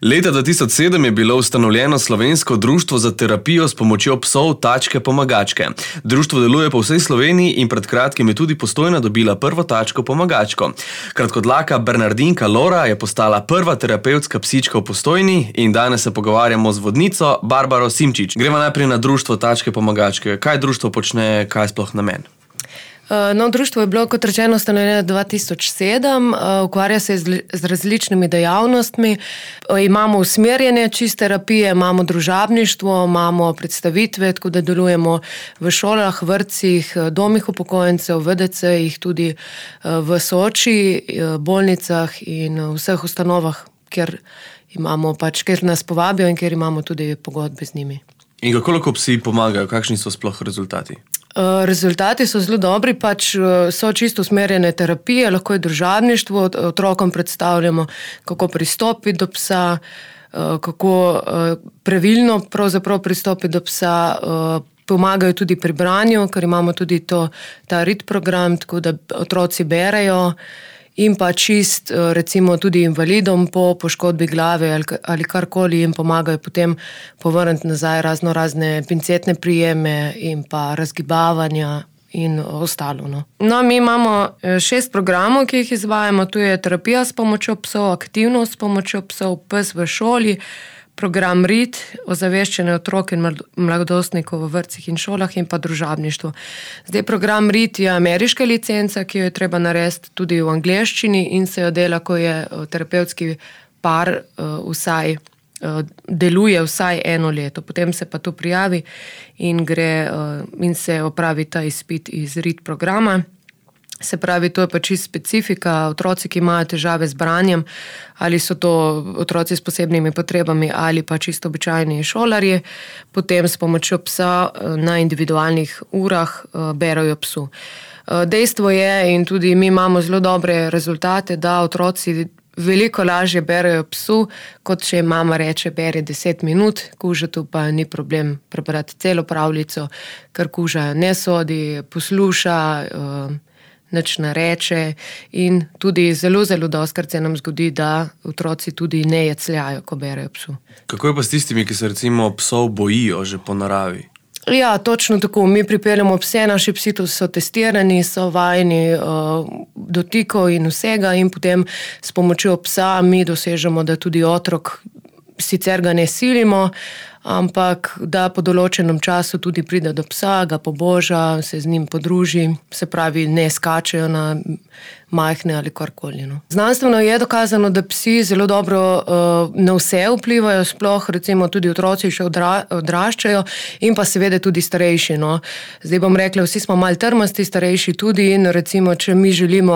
Leta 2007 je bilo ustanovljeno Slovensko društvo za terapijo s pomočjo psov tačke pomagačke. Društvo deluje po vsej Sloveniji in pred kratkim je tudi Postojna dobila prvo tačko pomagačko. Kratkodlaka bernardinka Lora je postala prva terapevtska psička v Postojni in danes se pogovarjamo z vodnico Barbaro Simčič. Gremo najprej na društvo tačke pomagačke. Kaj društvo počne, kaj je sploh namen? Društvo je bilo, kot rečeno, ustanovljeno 2007, ukvarja se z različnimi dejavnostmi. Imamo usmerjene čist terapije, imamo družabništvo, imamo predstavitve, tako da delujemo v šolah, vrtcih, domih upokojencev, VDC-jih, tudi v Soči, bolnicah in vseh ustanovah, kjer nas povabijo in kjer imamo tudi pogodbe z njimi. In kako lahko psi pomagajo? Kakšni so sploh rezultati? Rezultati so zelo dobri, so čisto usmerjene terapije, lahko je družabništvo, otrokom predstavljamo, kako pristopiti do psa, kako pravilno pravzaprav pristopiti do psa, pomagajo tudi pri branju, ker imamo tudi ta RIT program, tako da otroci berejo. In pa čist, recimo, tudi invalidom po poškodbi glave ali karkoli jim pomagajo potem povrniti nazaj razne pincetne prijeme in pa razgibavanja in ostalo. Mi imamo 6 programov, ki jih izvajamo. Tu je terapija s pomočjo psov, aktivnost s pomočjo psov, pes v šoli, program RIT, ozaveščanje otrok in mladostnikov v vrtcih in šolah in pa družabništvo. Zdaj, program RIT je ameriška licenca, ki jo je treba narediti tudi v angleščini in se jo dela, ko je terapevtski par deluje vsaj 1 leto. Potem se pa to prijavi in se opravi ta izpit iz RIT programa. Se pravi, to je pa čisto specifika. Otroci, ki imajo težave z branjem, ali so to otroci s posebnimi potrebami ali pa čisto običajni šolarji, potem s pomočjo psa na individualnih urah berejo psu. Dejstvo je, in tudi mi imamo zelo dobre rezultate, da otroci veliko lažje berejo psu, kot če mama reče, beri 10 minut, kužetu pa ni problem prebrati celo pravljico, ker kuža ne sodi, posluša, nič ne reče in tudi zelo, zelo dostikrat se nam zgodi, da otroci tudi ne jecljajo, ko berejo psu. Kako je pa s tistimi, ki se recimo psov bojijo že po naravi? Ja, točno tako. Mi pripeljamo pse, naši psi so testirani, so vajeni dotikov in vsega in potem s pomočjo psa mi dosežemo, da tudi otrok, sicer ga ne silimo, ampak da po določenem času tudi pride do psa, ga poboža, se z njim podruži, se pravi, ne skačejo na majhne ali karkoli. Znanstveno je dokazano, da psi zelo dobro na vse vplivajo, sploh recimo tudi otroci še odraščajo in pa seveda tudi starejši. Zdaj bom rekla, vsi smo malo trmasti, starejši tudi in recimo, če mi želimo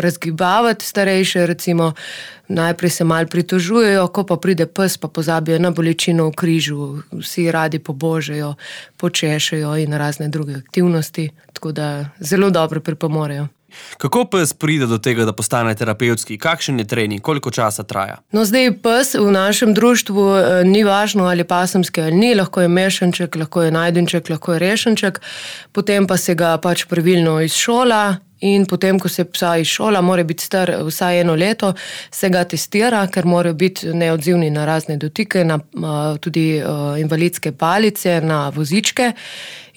razgibavati starejše, recimo najprej se malo pritožujejo, ko pa pride pes, pa pozabijo na bolečino v križu, vsi radi pobožejo, počešejo in razne druge aktivnosti, tako da zelo dobro pripomorejo. Kako pes pride do tega, da postane terapevtski? Kakšen je trening? Koliko časa traja? Zdaj, pes v našem društvu ni važno, ali pasemski ali ni, lahko je mešanček, lahko je najdenček, lahko je rešenček, potem pa se ga pravilno izšola. In potem, ko se psa izšola, mora biti star vsaj 1 leto, se ga testira, ker morajo biti neodzivni na razne dotike, na tudi invalidske palice, na vozičke.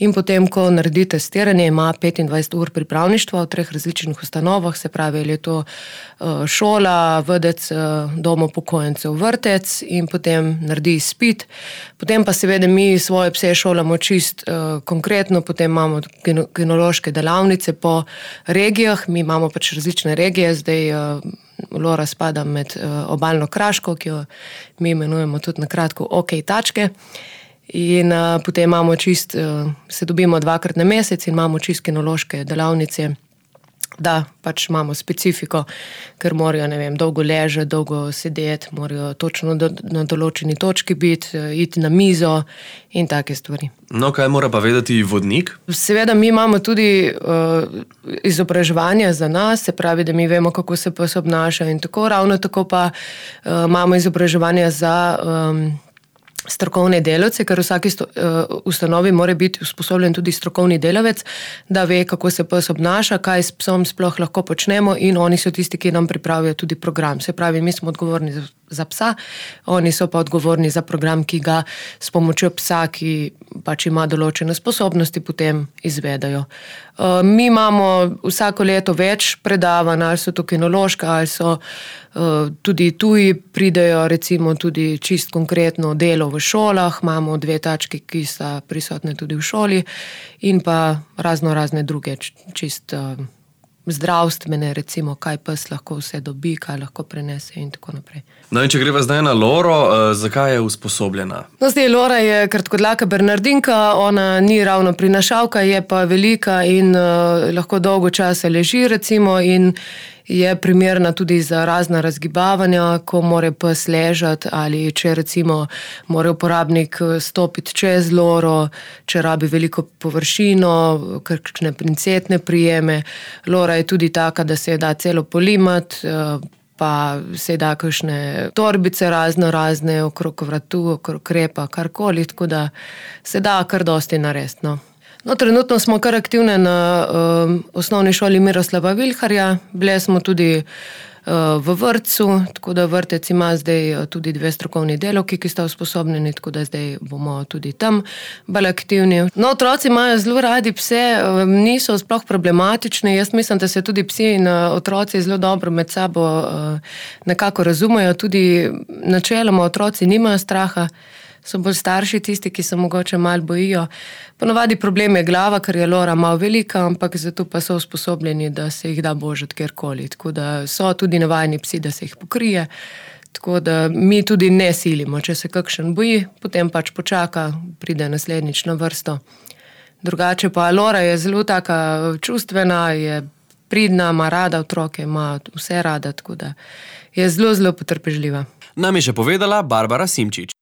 In potem, ko naredi testiranje, ima 25 ur pripravništva v 3 različnih ustanovah, se pravi, ali je to šola, VDC, dom upokojencev, vrtec in potem naredi izpit. Potem pa seveda mi svoje pse šolamo čist konkretno, potem imamo kinološke delavnice po regijah, mi imamo različne regije, zdaj Lora spada med obalno Kraško, ki jo mi imenujemo tudi na kratko OK tačke. In potem imamo se dobimo 2-krat na mesec in imamo čist kinološke delavnice, da imamo specifiko, ker morajo, dolgo ležati, dolgo sedeti, morajo točno na določeni točki biti, iti na mizo in take stvari. Kaj mora pa vedeti vodnik? Seveda mi imamo tudi izobraževanje za nas, se pravi, da mi vemo, kako se pes obnaša in tako, ravno tako pa imamo izobraževanje za strokovne delavce, ker v vsaki ustanovi mora biti usposobljen tudi strokovni delavec, da ve, kako se pes obnaša, kaj s psom sploh lahko počnemo in oni so tisti, ki nam pripravijo tudi program. Se pravi, mi smo odgovorni za psa. Oni so pa odgovorni za program, ki ga s pomočjo psa, ki pač ima določene sposobnosti, potem izvedajo. Mi imamo vsako leto več predavanj, ali so to kinološka, ali so tudi tuji pridejo, recimo tudi čist konkretno delo v šolah, imamo 2 tački, ki sta prisotne tudi v šoli in pa razne druge čist zdravstvene, recimo, kaj pes lahko vse dobi, kaj lahko prenese in tako naprej. No in če greva zdaj na Loro, zakaj je usposobljena? No, zdaj Lora je kratkodlaka bernardinka, ona ni ravno prinašalka, je pa velika in lahko dolgo časa leži, recimo, in je primerna tudi za razna razgibavanja, ko mora pes ležati ali če recimo mora uporabnik stopiti čez Loro, če rabi veliko površino, kakšne princetne prijeme. Lora je tudi taka, da se da celo polimati, pa se da kakšne torbice razne okrog vratu, okrog repa, karkoli, tako da se da kar dosti narediti, no. No, trenutno smo kar aktivne na osnovni šoli Miroslava Vilharja, bile smo tudi v vrtcu, tako da vrtec ima zdaj tudi 2 strokovni delavki, ki sta usposobljeni, tako da zdaj bomo tudi tam bolj aktivni. No, otroci imajo zelo radi pse, niso sploh problematični, jaz mislim, da se tudi psi in otroci zelo dobro med sabo nekako razumejo, tudi načeloma otroci nimajo straha, so bolj starši tisti, ki se mogoče malo bojijo. Ponavadi problem je glava, ker je Lora malo velika, ampak zato pa so usposobljeni, da se jih da božati kjerkoli. Tako da so tudi navajeni psi, da se jih pokrije. Tako da mi tudi ne silimo. Če se kakšen boji, potem pač počaka, pride naslednjič na vrsto. Drugače pa Lora je zelo taka čustvena, je pridna, ima rada otroke, ima vse rada, tako da je zelo potrpežljiva. Nam je še povedala Barbara Simčič.